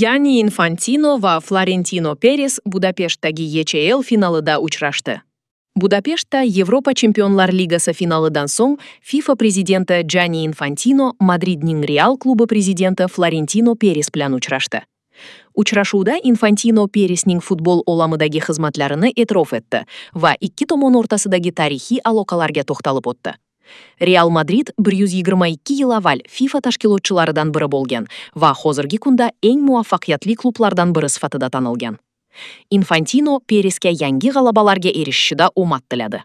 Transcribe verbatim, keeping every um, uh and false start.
Janni Infantino va Florentino Peres Budapeshtdagi Y C L finalida uchrashdi. Budapeshtda Yevropa Chempionlar Ligasi finalidan so'ng FIFA prezidenti Janni Infantino Madridning Real klubi prezidenti Florentino Peres bilan uchrashdi. Uchrashuvda Infantino Peresning futbol olamidagi xizmatlarini e'tirof etdi va ikki tomon o'rtasidagi tarixiy aloqalarga to'xtalib o'tdi. Real Madrid bir yuz yigirma ikki yil avval FIFA tashkilotchilaridan biri bo'lgan va hozirgi kunda eng muvaffaqiyatli klublardan biri sifatida tanilgan. Infantino Peresga yangi g'alabalarga erishishida omad tiladi.